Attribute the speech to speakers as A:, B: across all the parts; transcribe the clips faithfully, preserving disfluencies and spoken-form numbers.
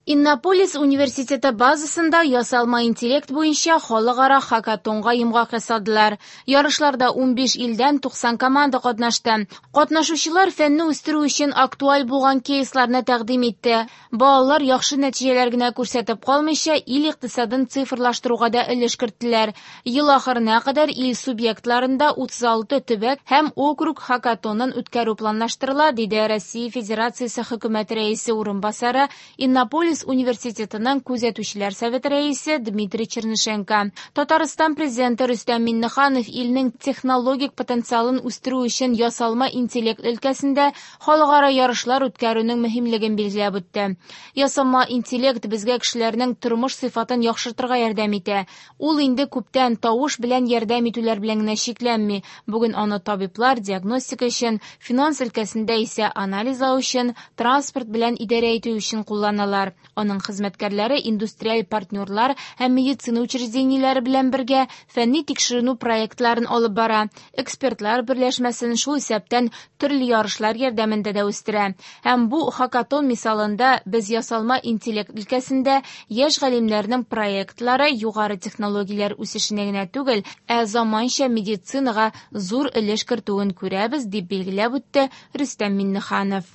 A: Иннополис университеты базасында ясалма интеллект буенча халыкара хакатонга йомгак ясадылар. Ярышларда унбиш илдән туксан команда катнашты. Катнашучылар фәнне үстерү өчен актуаль булган кейсларны тәкъдим итте. Балалар яхшы нәтиҗәләр генә күрсәтеп калмыйча, ил икътисадын цифрлаштыруга да өлеш керттеләр. Ел ахырына кадәр ил субъектларында утыз алты төбәк һәм округ хакатонын үткәрү планлаштырыла, диде Россия Федерациясе хөкүмәте рәисе урынбасары, Иннополис университетының күзәтүчеләр советы рәисе Дмитрий Чернышенко. Татарстан президенты Рөстәм Миңнеханов илнең технологик потенциалын үстерү өчен ясалма интеллект өлкәсендә халыкара ярышлар үткәрүнең мөһимлеген билгеләп үтте. Ясалма интеллект безгә кешеләрнең тормыш сыйфатын яхшыртырга ярдәм итә. Ул инде күптән тавыш белән ярдәм итүләр белән генә чикләнми. Бүген аны табиблар диагностика өчен, финанс өлкәсендә исә анализлау өчен, транспорт белән идарә итү өчен кулланалар. Аның хезмәткәрләре индустриаль партнерлар һәм медицина учреждениеләре белән бергә фәнни тикшеренү проектларын алып бара. Экспертлар берләшмәсен шул исәптән төрле ярышлар ярдәмендә дә үстерә. Һәм бу хакатон мисалында без ясалма интеллект өлкәсендә яшь галимнәрнең проектлары югары технологияләр үсешенә генә түгел, ә заманча медицинага зур өлеш кертүен күрәбез, дип билгеләп үтте Рөстәм Миңнеханов.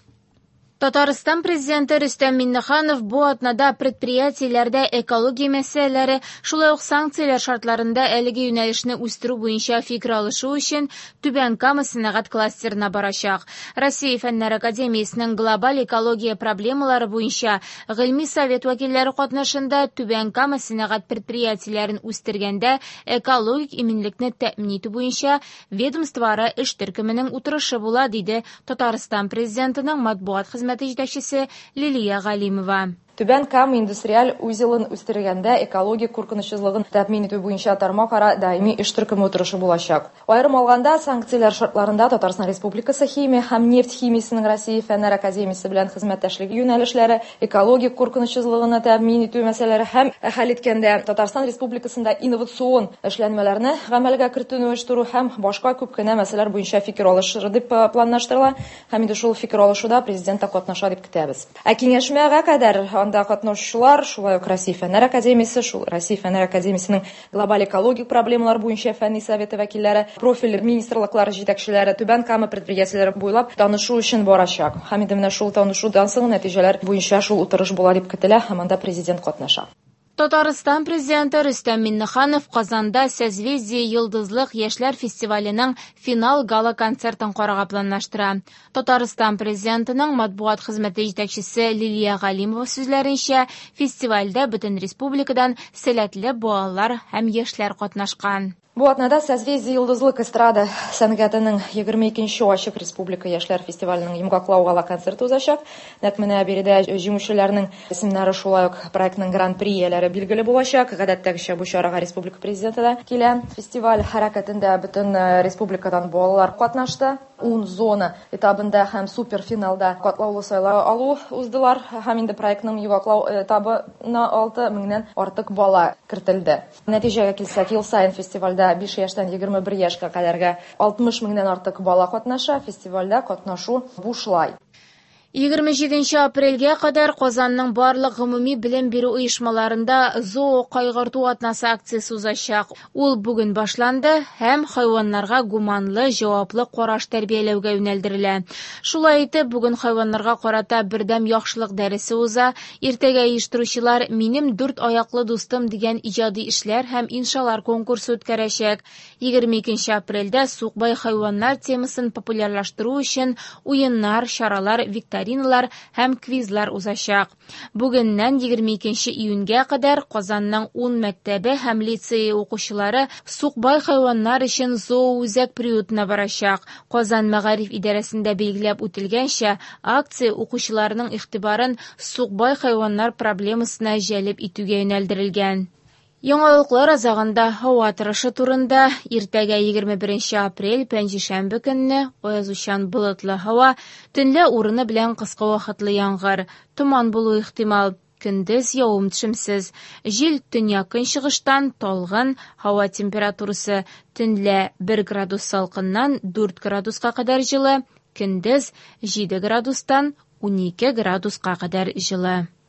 A: Татарстан президенты Рөстәм Миңнеханов бу атнада предприятиеләрдә экология мәсьәләләре, шулай ук санкцияләр шартларында әлеге юнәлешне үстерү буенча фикер алышу өчен Түбән Кама сәнәгать кластерына барачак. Россия Фәннәр академиясенең глобаль экология проблемалары буенча гыйльми совет вәкилләре катнашында Түбән Кама сәнәгать предприятиеләрен үстергәндә экологик иминлекне тәэмин итү буенча ведомствоара эш төркеменең утырышы була, диде Татарстан президентының матбугат хезмәте җитәкчесе Лилия Галимова.
B: Түбән Кама индустриаль узелын үстергәндә экологик куркынычсызлыгын тәэмин итү буенча тармакара даими эш төркеме утырышы булачак. Аерым алганда, санкцияләр шартларында Татарстан Республикасы химия һәм нефть химиясенең Россия Фәннәр академиясе белән хезмәттәшлеге юнәлешләре, экологик куркынычсызлыгын тәэмин итү мәсьәләләре һәм хәл иткәндә Татарстан Республикасында инновацион эшләнмәләрне гамәлгә кертүне оештыру һәм башка күп кенә мәсьәләләр буенча фикер алышыр дип планлаштырыла. Һәм инде шул фикер алышуда президент та катнаша дип көтәбез. Ә киңәшмәгә кадәр анда катнашучылар шулай ук Россия Фәннәр академиясе, шул Россия Фәннәр академиясенең глобаль экологик проблемалар буенча фәнни советы вәкилләре, профиль министрлыклары җитәкчеләре Түбән Кама предприятиеләре буйлап танышу өчен барачак. Һәм инде менә шул танышудан соң нәтиҗәләр буенча шул утырыш була дип көтелә һәм анда президент катнаша.
A: Татарстан президенты Рөстәм Миңнеханов Казанда Созвездие Йолдызлык яшьләр фестиваленең финал гала-концертын карарга планлаштыра. Татарстан президентының матбугат хезмәте җитәкчесе Лилия Галимова сүзләренчә, фестивальдә бөтен республикадан сәләтле балалар һәм яшьләр катнашкан.
B: Бу атнада Созвездие Йолдызлык эстрада сәнгатенең егерме икенче ачык республика яшьләр фестиваленең йомгаклау гала-концерты узачак. Нәкъ менә биредә җиңүчеләрнең исемнәре шулай ук проектның гран-при ияләре билгеле булачак. Гадәттәгечә бу чарага республика президенты да килә. Фестиваль хәрәкәтендә бөтен республикадан балалар катнашты. Ун зона этабында һәм суперфиналда катлаулы сайлау алу уздылар. Һәм инде проектның йомгаклау этабына алты меңнән артык бала кертелде. Нәтиҗәгә килсәк, ел саен фестивальдә биш яшьтән егерме бер яшькә кадәргә алтмыш меңнән артык бала катнаша. Фестивальдә катнашу бушлай.
A: Егерме җиденче апрельгә кадәр Казанның барлык гомуми белем бирү оешмаларында зоо кайгырту атнасы акциясе узачак. Ул бүген башланды һәм хайваннарга гуманлы, җаваплы караш тәрбияләүгә юнәлдерелә. Шулай итеп, бүген хайваннарга карата бердәм яхшылык дәресе уза. Иртәгә оештыручылар Минем дүрт аяклы дустым дигән иҗади эшләр һәм иншалар конкурсы үткәрәчәк. Егерме икенче апрельдә сукбай хайваннар темасын популярлаштыру өчен уеннар, чаралар, викториналар һәм квизлар узачак. Бүгеннән егерме икенче июньгә кадәр Казанның ун мәктәбе һәм лицее укучылары сукбай хайваннар өчен зооүзәк приютына барачак. Казан мәгариф идарәсендә билгеләп үтелгәнчә, акция укучыларның игътибарын сукбай хайваннар проблемасына җәлеп итүгә юнәлдерелгән. Яңалыклар азагында һава торышы турында. Иртәгә егерме беренче апрель пәнҗешәмбе көнне аязучан болытлы һава, төнлә урыны белән кыска вакытлы яңгыр, томан булу ихтимал. Көндез явым-төшемсез. Җил төньяк-көнчыгыштан талгын, һава температурасы төнлә бер градус салкыннан дүрт градуска кадәр җылы, көндез җиде градустан унике градуска кадәр җылы.